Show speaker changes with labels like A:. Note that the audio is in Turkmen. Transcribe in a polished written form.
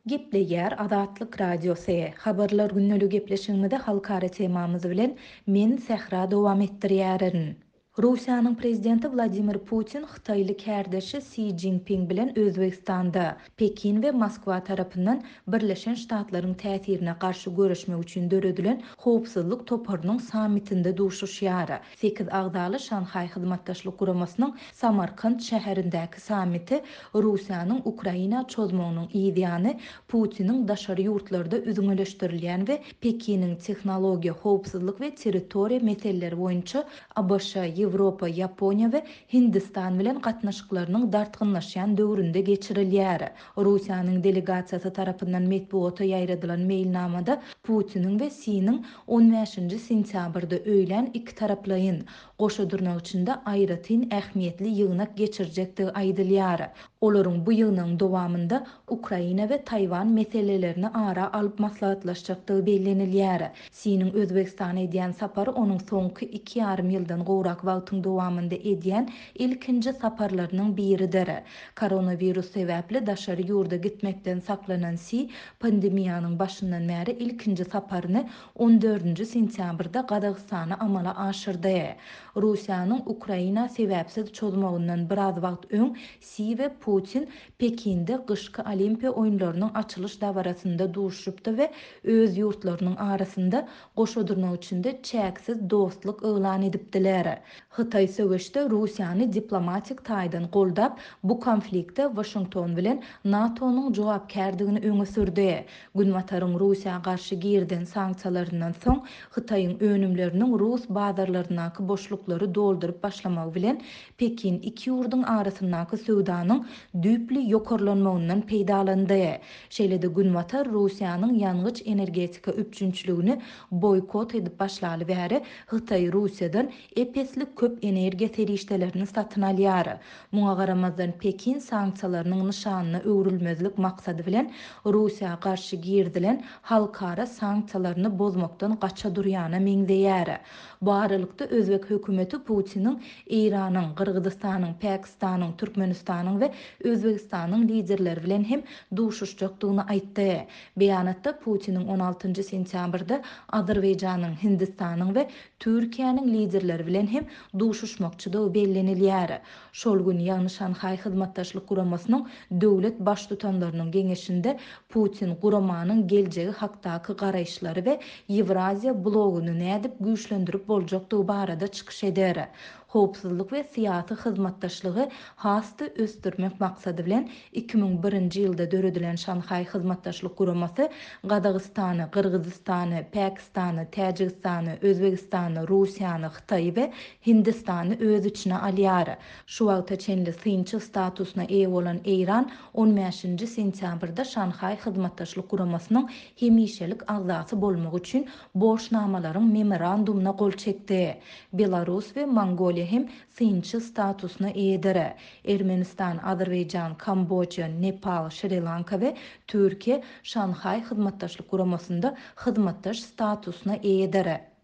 A: Gepleýär Azatlyk Radiosy. Habarlar gündeligi gepleşigimizi halkara temamyz bilen men Sähra dowam etdirýärin. Russiýanyň Prezidenti Wladimir Putin hytaýly kärdeşi Si Jinping bilen Özbegistanda, Pekin we Moskwa tarapyndan Birleşen Ştatlaryň täsirine garşy göreşmek üçin döredilen Howpsuzlyk toparynyň sammitinde duşuşýar. Sekiz agzaly Şanhaý Hyzmatdaşlyk Guramasynyň Samarkant şäherindäki sammiti Russiýanyň Ukraina çozmagynyň yz ýany Putiniň daşary ýurtlarda üzňeleşdirilýän we Pekiniň tehnologiýa, howpsuzlyk we territoriýa meseleleri boýunça ABŞ, Ýewropa, Ýaponiýa we Hindistan bilen gatnaşyklarynyň dartgynlaşýan döwründe geçirilýär. Russiýanyň delegasiýasy tarapyndan metbugata ýaýradylan meýilnamada Putiniň we Siniň on bäşinji sentýabrda öýlän ikitaraplaýyn, goşa dyrnak içinde aýratyn ähmiýetli ýygnak geçirjekdigi aýdylýar. Olaryň bu ýygnagyň dowamynda Ukraina we Taýwan meselelerini ara alyp maslahatlaşjakdygy bellenilýär. Siniň Özbegistana edýän sapary onuň soňky iki ýarym ýyldan gowrak wagtyň dowamynda edýän ilkinji saparlarynyň biridir. Koronawirus sebäpli daşary ýurda gitmekden saklanan Si pandemiýanyň başyndan bäri ilkinji saparyny on dördünji sentýabrda Gazagystana amala aşyrdy. Russiýanyň Ukraina sebäpsiz çozmagyndan biraz wagt öň Si we Putin Pekinde gyşky Olimpiýa oýunlarynyň açylyş dabarasynda duşuşypdy we öz ýurtlarynyň arasynda goşa dyrnak içinde çäksiz dostluk yglan edipdiler. Hytaý söweşde Russiýany diplomatik taýdan goldap, bu konfliktde Waşington bilen NATO-nyň jogapkärdigini öňe sürdi. Günbataryň Russiýa garşy girizen sanksiýalaryndan soň, Hytaýyň önümleriniň rus bazarlaryndaky boşluklary dolduryp başlamagy bilen, Pekin iki ýurduň arasyndaky söwdanyň düýpli ýokarlanmagyndan peýdalandy. Şeýle-de Günbatar Russiýanyň ýangyç-energetika üpjünçiligini boýkot edip başlaly bäri Hytaý Russiýadan ep-esli köp energiýa serişdelerini satyn alýar. Muňa garamazdan Pekin sanksiýalarynyň nyşanyna öwrülmezlik maksady bilen Russiýa garşy girizilen halkara sanksiýalaryny bozmakdan gaça durýana meňzeýär. Bu aralykda özbek hökümeti Putiniň Eýranyň, Gyrgyzystanyň, Päkistanyň, Türkmenistanyň we Özbegistanyň liderleri bilen hem duşuşjakdygyny aýtdy. Beýanatda Putiniň on altynjy sentýabrda Azerbaýjanyň, Hindistanyň we Türkiýäniň liderleri bilen hem duşuşmakçydygy bellenilýär. Şol gün, ýagny Şanhaý Hyzmatdaşlyk Guramasynyň döwlet Baştutanlarynyň geňeşinde Putin guramanyň geljegi hakdaky garaýyşlary we Ýewraziýa bloguny nädip güýçlendirip boljakdygy barada çykyş eder. Howpsuzlyk we syýasy hyzmatdaşlygy has-da ösdürmek maksady bilen 2001-nji ýylda döredilen Şanhaý Hyzmatdaşlyk Guramasy Gazagystany, Gyrgyzystany, Päkistany, Täjigistany, Özbegistany, Russiýany, Hytaýy we Hindistany öz içine alýar. Şu wagta çenli synçy statusyna eýe bolan Eýran on bäşinji sentýabrda Şanhaý Hyzmatdaşlyk Guramasynyň hemişelik agzasy bolmak üçin borçnamalaryň memorandumyna gol çekdi. Belarus we Mongoliýa hem synçy statusyna eýedir. Ermenistan, Azerbaýjan, Kamboja, Nepal, Şri-Lanka we Türkiýe Şanhaý Hyzmatdaşlyk Guramasynda hyzmatdaş statusyna eýedir.